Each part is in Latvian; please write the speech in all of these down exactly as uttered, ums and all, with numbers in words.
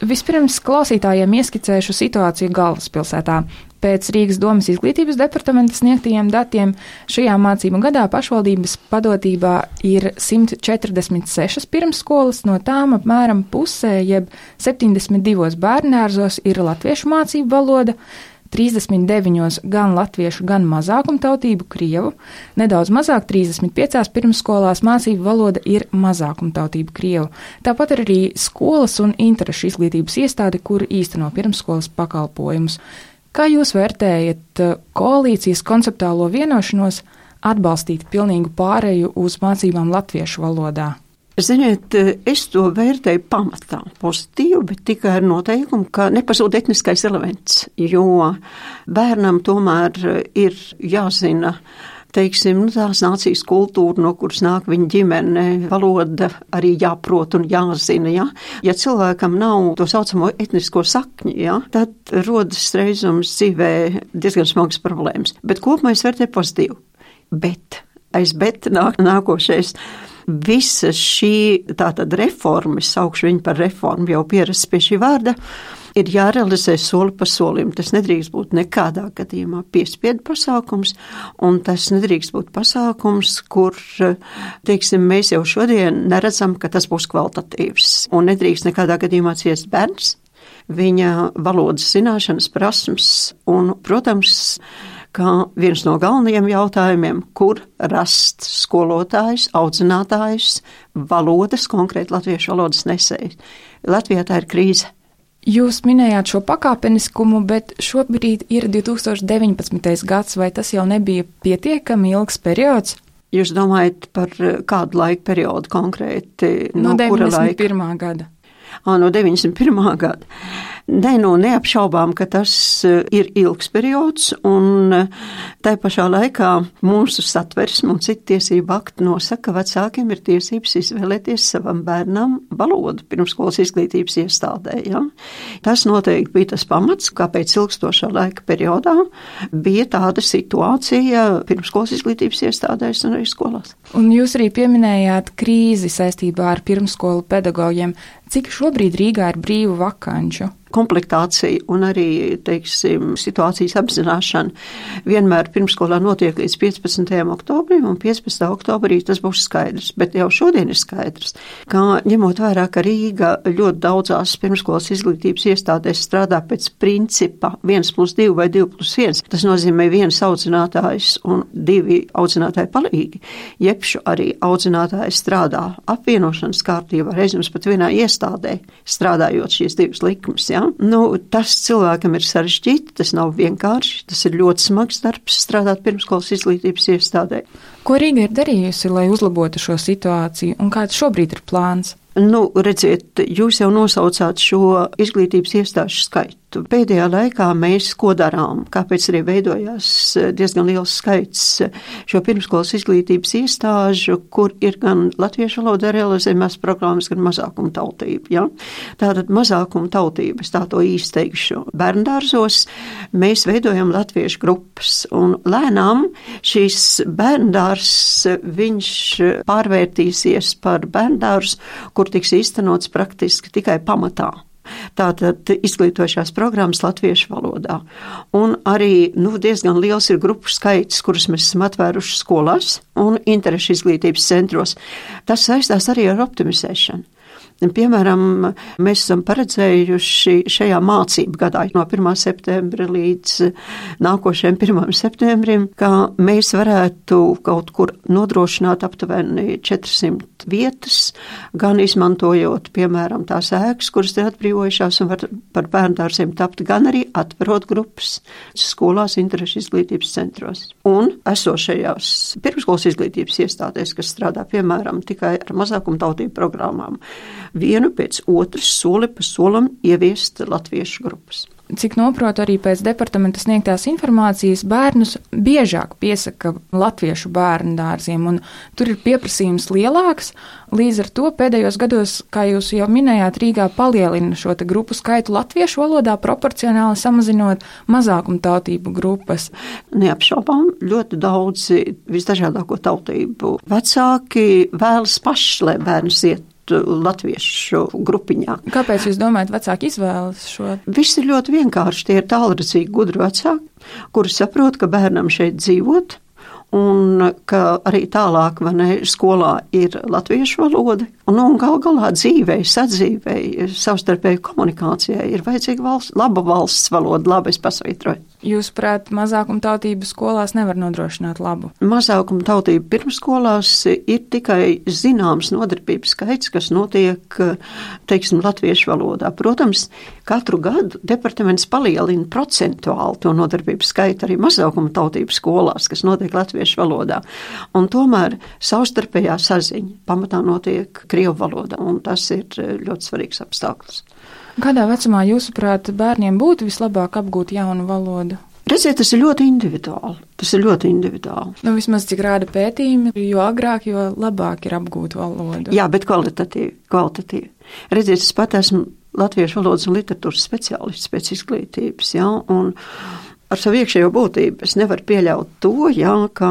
Vispirms klausītājiem ieskicēšu situāciju galvaspilsētā. Pēc Rīgas domas izglītības departamenta sniegtajiem datiem šajā mācību gadā pašvaldības padotībā ir simt četrdesmit sešas pirmsskolas, no tām apmēram pusē, jeb septiņdesmit divos bērnārzos ir latviešu mācību valoda, trīsdesmit deviņos gan latviešu, gan mazākumtautību krievu, nedaudz mazāk trīsdesmit piecās pirmsskolās mācību valoda ir mazākumtautību krievu. Tāpat ir arī skolas un interešu izglītības iestāde, kur īsteno pirmsskolas pakalpojumus. Kā jūs vērtējat koalīcijas konceptuālo vienošanos atbalstīt pilnīgu pāreju uz mācībām latviešu valodā? Ziniet, es to vērtēju pamatā pozitīvi, bet tikai ar noteikumu, ka nepazūd etniskais elements, jo bērnam tomēr ir jāzina, teiksim, nu, tās nācijas kultūra, no kuras nāk viņa ģimene, valoda arī jāprot un jāzina, ja. Ja cilvēkam nav to saucamo etnisko sakņu, ja, tad rodas reizums dzīvē diezgan smagas problēmas. Bet kopumā es vērtēju pozitīvi. Bet, aiz bet nāk nākošais. Visa šī tātad reforma, es saukšu viņu par reformu, jau pierasts pie šī vārda, ir jārealizē soli pa solim. Tas nedrīkst būt nekādā gadījumā piespiedu pasākums, un tas nedrīkst būt pasākums, kur, teiksim, mēs jau šodien neredzam, ka tas būs kvalitatīvs. Un nedrīkst nekādā gadījumā ciest bērns, viņa valodas zināšanas, prasmes, un, protams, kā viens no galvenajiem jautājumiem, kur rast skolotājs, audzinātājs, valodas, konkrēti latviešu valodas nesējs. Latvijā tā ir krīze. Jūs minējāt šo pakāpeniskumu, bet šobrīd ir divi tūkstoši deviņpadsmitais gads, vai tas jau nebija pietiekami ilgs periods? Jūs domājat par kādu laika periodu konkrēti? No, no deviņdesmit pirmā gada. Ā, no deviņdesmit pirmā gada. Nē, nu, neapšaubām, ka tas ir ilgs periods, un tai pašā laikā mūsu satversme un citu tiesību akti nosaka, ka vecākiem ir tiesības izvēlēties savam bērnam valodu pirmsskolas izglītības iestādē. Ja? Tas noteikti bija tas pamats, kāpēc ilgstošā laika periodā bija tāda situācija pirmsskolas izglītības iestādēs un arī skolās. Un jūs arī pieminējāt krīzi saistībā ar pirmsskolu pedagogiem. Cik šobrīd Rīgā ir brīvu vakanču? Komplektācija un arī, teiksim, situācijas apzināšana vienmēr pirmskolā notiek līdz piecpadsmitajam oktobrim, un piecpadsmitā oktobrī tas būs skaidrs. Bet jau šodien ir skaidrs, ka ņemot vērā, ka Rīga ļoti daudzās pirmskolas izglītības iestādēs strādā pēc principa viens plus divi vai divi plus viens, tas nozīmē viens audzinātājs un divi audzinātāji palīgi, jebšu arī audzinātājs strādā apvienošanas kārtībā, reizēm pat vienā iestādē, strādājot šīs divas likmes, ja? Nu, tas cilvēkam ir sarežģīti, tas nav vienkārši, tas ir ļoti smags darbs strādāt pirmskolas izglītības iestādē. Ko Rīga ir darījusi, lai uzlabotu šo situāciju, un kāds šobrīd ir plāns? Nu, redziet, jūs jau nosaucāt šo izglītības iestāžu skaitu. Pēdējā laikā mēs ko darām, kāpēc arī veidojās diezgan liels skaits šo pirmskolas izglītības iestāžu, kur ir gan latviešu valodā realizējumās programmas, gan mazākuma tautība. Ja? Tātad mazākuma tautība, es tā to īsteikšu, bērndārzos mēs veidojam latviešu grupas, un lēnām šīs bērndārs, viņš pārvērtīsies par bērndārs, kur tiks īstenots praktiski tikai pamatā. Tātad izglītošās programmas latviešu valodā. Un arī nu, diezgan liels ir grupu skaits, kurus mēs esam atvēruši skolās un interešu izglītības centros. Tas saistās arī ar optimizēšanu. Piemēram, mēs esam paredzējuši šajā mācību gadā no pirmā septembra līdz nākošajam pirmajam septembrim, ka mēs varētu kaut kur nodrošināt aptuveni četrsimt vietas, gan izmantojot, piemēram, tās ēkas, kuras te atbrīvojušās un var par bērndārziem tapt, gan arī atverot grupas skolās, interešu izglītības centros. Un esošajās pirmskolas izglītības iestādēs, kas strādā, piemēram, tikai ar mazākumtautību programmām, vienu pēc otras soli pa solam ieviest latviešu grupas. Cik noprotu, arī pēc departamenta sniegtās informācijas bērnus biežāk piesaka latviešu bērnu dārziem, un tur ir pieprasījums lielāks. Līdz ar to pēdējos gados, kā jūs jau minējāt, Rīgā palielina šo te grupu skaitu latviešu valodā, proporcionāli samazinot mazākumtautību grupas. Neapšaubām ļoti daudzi visdažādāko tautību vecāki vēlas paši, lai bērns iet latviešu grupiņā. Kāpēc jūs domājat, vecāki izvēlas šo? Viss ir ļoti vienkārši. Tie ir tālredzīgi gudri vecāki, kuri saprot, ka bērnam šeit dzīvot, un ka arī tālāk, vai ne, skolā ir latviešu valoda, un, un gal galā dzīvei, sadzīvei, savstarpēji komunikācijai ir vajadzīga valsts, laba valsts valoda, labi es pasvītroju. Jūsuprāt, mazākumtautību skolās nevar nodrošināt labu? Mazākumtautību pirmskolās ir tikai zināms nodarbības skaits, kas notiek, teiksim, latviešu valodā. Protams, katru gadu departaments palielina procentuāli to nodarbības skaitu arī mazākumtautību skolās, kas notiek latviešu valodā. Un tomēr savstarpējā saziņa pamatā notiek krievu valodā, un tas ir ļoti svarīgs apstākļus. Kādā vecumā, jūsuprāt, bērniem būtu vislabāk apgūt jaunu valodu? Redziet, tas ir ļoti individuāli. Tas ir ļoti individuāli. Nu, vismaz cik rāda pētījumi, jo agrāk, jo labāk ir apgūt valodu. Jā, bet kvalitatīvi, kvalitatīvi. Redziet, es pat esmu latviešu valodas un literatūras speciālists pēc izglītības, jā, un ar savu iekšējo būtību es nevaru pieļaut to, jā, ka,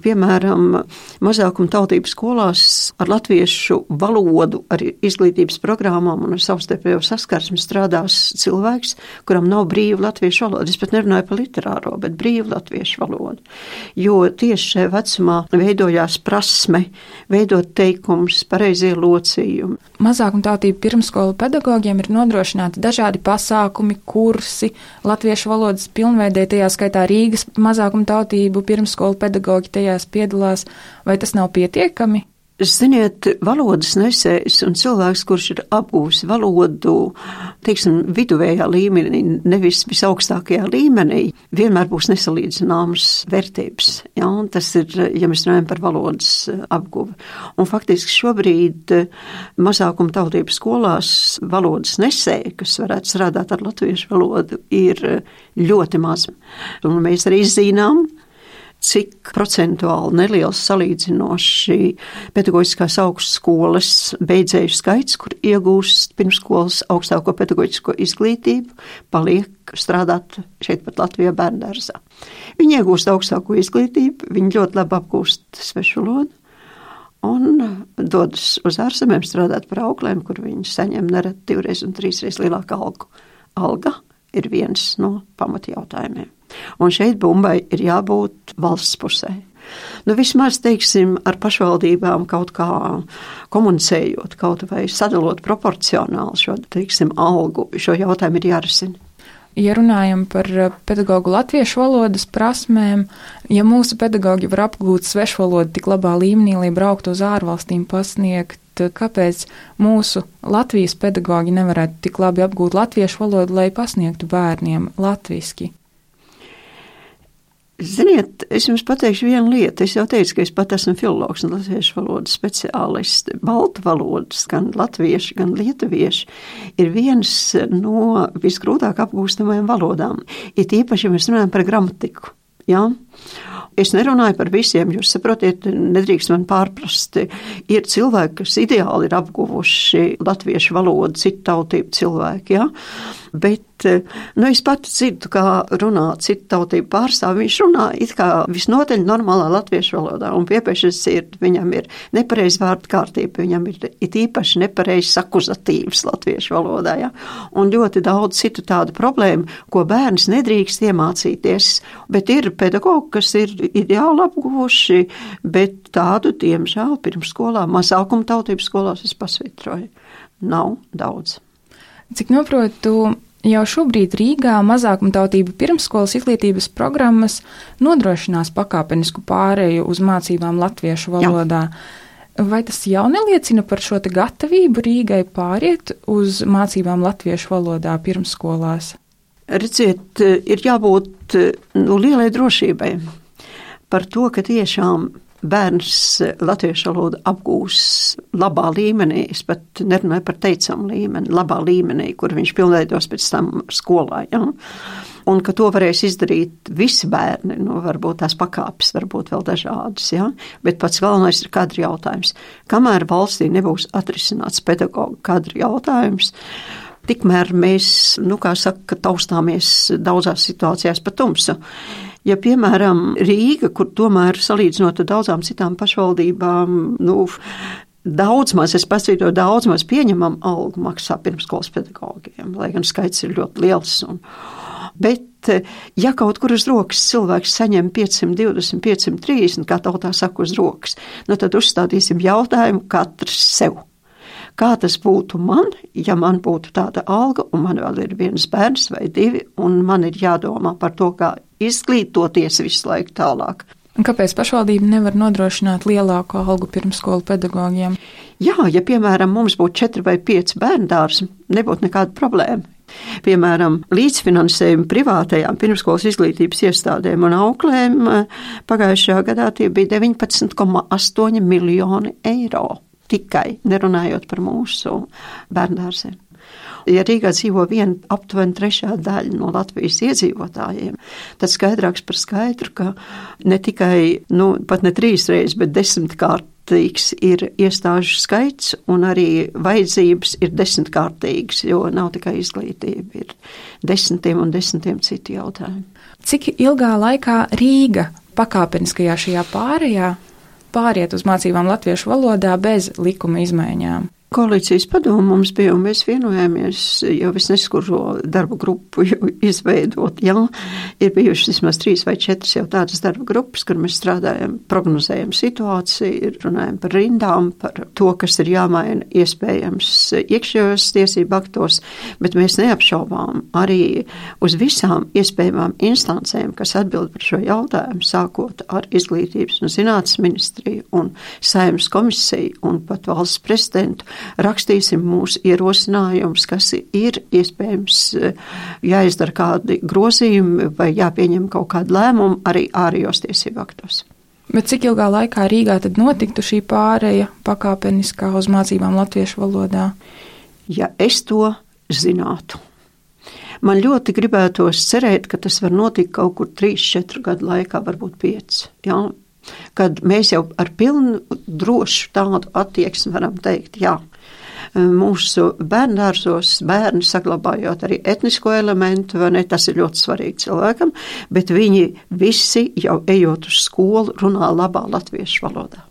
piemēram, mazākuma tautību skolās ar latviešu valodu, ar izglītības programmām un ar savstarpējo saskarsmi strādās cilvēks, kuram nav brīva latviešu valoda. Es pat nerunāju par literāro, bet brīva latviešu valoda. Jo tieši šajā vecumā veidojās prasme, veidot teikumus, pareizie locījumi. Mazākuma tautību pirmskolu pedagogiem ir nodrošināti dažādi pasākumi, kursi, latviešu valodas pilnveidojumi, tajā skaitā Rīgas mazākumtautību pirmskolu pedagoģi tajās piedalās, vai tas nav pietiekami? Ziniet, valodas nesējs un cilvēks, kurš ir apgūs valodu, teiksim, viduvējā līmenī, nevis visaugstākajā līmenī, vienmēr būs nesalīdzināmas vērtības. Ja? Un tas ir, ja mēs runājam par valodas apguvi. Un faktiski šobrīd mazākuma tautību skolās valodas nesēji, kas varētu strādāt ar latviešu valodu, ir ļoti maz. Un mēs arī zinām, cik procentuāli neliels salīdzinoši pedagoģiskās augstskolas beidzēju skaits, kur iegūst pirmskolas augstāko pedagoģisko izglītību, paliek strādāt šeit pat Latvijā bērndārzā. Viņi iegūst augstāko izglītību, viņi ļoti labi apgūst svešu valodu un dodas uz ārzemēm strādāt par auklēm, kur viņi saņem nereti divreiz un trīsreiz lielāku algu. Alga ir viens no pamatjautājumiem. Un šeit bumbai ir jābūt valsts pusē. Nu, vismaz, teiksim, ar pašvaldībām kaut kā komunicējot, kaut vai sadalot proporcionāli šo, teiksim, algu, šo jautājumu ir jārisina. Ja runājam par pedagogu latviešu valodas prasmēm, ja mūsu pedagogi var apgūt svešu valodu tik labā līmenī, lai brauktu uz ārvalstīm pasniegt, kāpēc mūsu Latvijas pedagogi nevarētu tik labi apgūt latviešu valodu, lai pasniegtu bērniem latviski? Ziniet, es jums pateikšu vienu lietu. Es jau teicu, ka es pat esmu filologs un latviešu valodas speciālists. Baltu valodas, gan latvieši, gan lietuvieši, ir viens no visgrūtāk apgūstamajām valodām. Ir īpaši, ja mēs runājam par gramatiku. Ja? Es nerunāju par visiem, jūs saprotiet, nedrīkst man pārprast. Ir cilvēki, kas ideāli ir apguvuši latviešu valodu, citu tautību cilvēki, ja? Bet, nu, es pati dzirdu, kā runā citu tautību pārstāvi. Viņš runā it kā visnotaļ normālā latviešu valodā, un piepešas ir, viņam ir nepareiz vārdu kārtība, viņam ir it īpaši nepareiz akuzatīvs latviešu valodā, ja? Un ļoti daudz citu tādu problēmu, ko bērns nedrīkst iemācīties, bet ir pedagogi, kas ir ideāli apguvuši, bet tādu, diemžēl, pirmsskolā, mazākuma tautības skolās es pasvitroju. Nav daudz. Cik noprotu, jau šobrīd Rīgā mazākumtautību pirmsskolas izglītības programmas nodrošinās pakāpenisku pāreju uz mācībām latviešu valodā. Jā. Vai tas jau neliecina par šo te gatavību Rīgai pāriet uz mācībām latviešu valodā pirmsskolās? Redziet, ir jābūt nu, lielai drošībai par to, ka tiešām bērns latviešu valodu apgūs labā līmenī, es pat nerunāju par teicamu līmeni, labā līmenī, kur viņš pilnveidos pēc tam skolā, ja? Un ka to varēs izdarīt visi bērni, nu, varbūt tās pakāpes, varbūt vēl dažādas, ja? Bet pats galvenais ir kadru jautājums. Kamēr valstī nebūs atrisināts pedagogu kadru jautājums, tikmēr mēs, nu, kā saka, taustāmies daudzās situācijās pa tumsu. Ja, piemēram, Rīga, kur tomēr salīdzinot ar daudzām citām pašvaldībām, nu, daudz maz, es pasvītoju, daudz maz pieņemam algu maksā pirmskolas pedagogiem, lai gan skaits ir ļoti liels. Un, bet, ja kaut kur uz rokas cilvēks saņem piecsimt divdesmit, piecsimt trīsdesmit, kā tautā saka uz rokas, nu tad uzstādīsim jautājumu katrs sev. Kā tas būtu man, ja man būtu tāda alga, un man vēl ir viens bērns vai divi, un man ir jādomā par to, kā izglītoties visu laiku tālāk. Un kāpēc pašvaldība nevar nodrošināt lielāku algu pirmskolu pedagogiem? Jā, ja, piemēram, mums būtu četri vai pieci bērndārs, nebūtu nekāda problēma. Piemēram, līdzfinansējumu privātajām pirmskolas izglītības iestādēm un auklēm pagājušajā gadā tie bija deviņpadsmit komats astoņi miljoni eiro. Tikai nerunājot par mūsu bērndārziem. Ja Rīgā dzīvo viena aptuveni trešā daļa no Latvijas iedzīvotājiem, tad skaidrāks par skaidru, ka ne tikai, nu, pat ne trīs reizes, bet desmitkārtīgs ir iestāžu skaits un arī vajadzības ir desmitkārtīgas, jo nav tikai izglītība, ir desmitiem un desmitiem citu jautājumu. Cik ilgā laikā Rīga pakāpeniskajā šajā pārējā pāriet uz mācībām latviešu valodā bez likuma izmaiņām? Koalīcijas padomu mums bija, un mēs vienojāmies, jau es neskuru darba grupu izveidot. Jā, ir bijušas vismaz trīs vai četras jau tādas darba grupas, kur mēs strādājam, prognozējam situāciju, runājam par rindām, par to, kas ir jāmaina iespējams iekšējos tiesību aktos, bet mēs neapšaubām arī uz visām iespējamām instancēm, kas atbild par šo jautājumu, sākot ar izglītības un zinātnes ministriju un Saeimas komisiju un pat valsts prezidentu, rakstīsim mūsu ierosinājumus, kas ir iespējams jāizdara kādi grozījumi vai jāpieņem kaut kādu lēmumu arī ārējos tiesību aktos. Bet cik ilgā laikā Rīgā tad notiktu šī pāreja pakāpeniskā uz mācībām latviešu valodā? Ja es to zinātu. Man ļoti gribētos cerēt, ka tas var notikt kaut kur trīs, četru gadu laikā, varbūt pieci. Jā? Kad mēs jau ar pilnu drošu tādu attieksmi varam teikt, jā, mūsu bērndārzos bērni saglabājot arī etnisko elementu, vai ne, tas ir ļoti svarīgi cilvēkam, bet viņi visi jau ejot uz skolu runā labā latviešu valodā.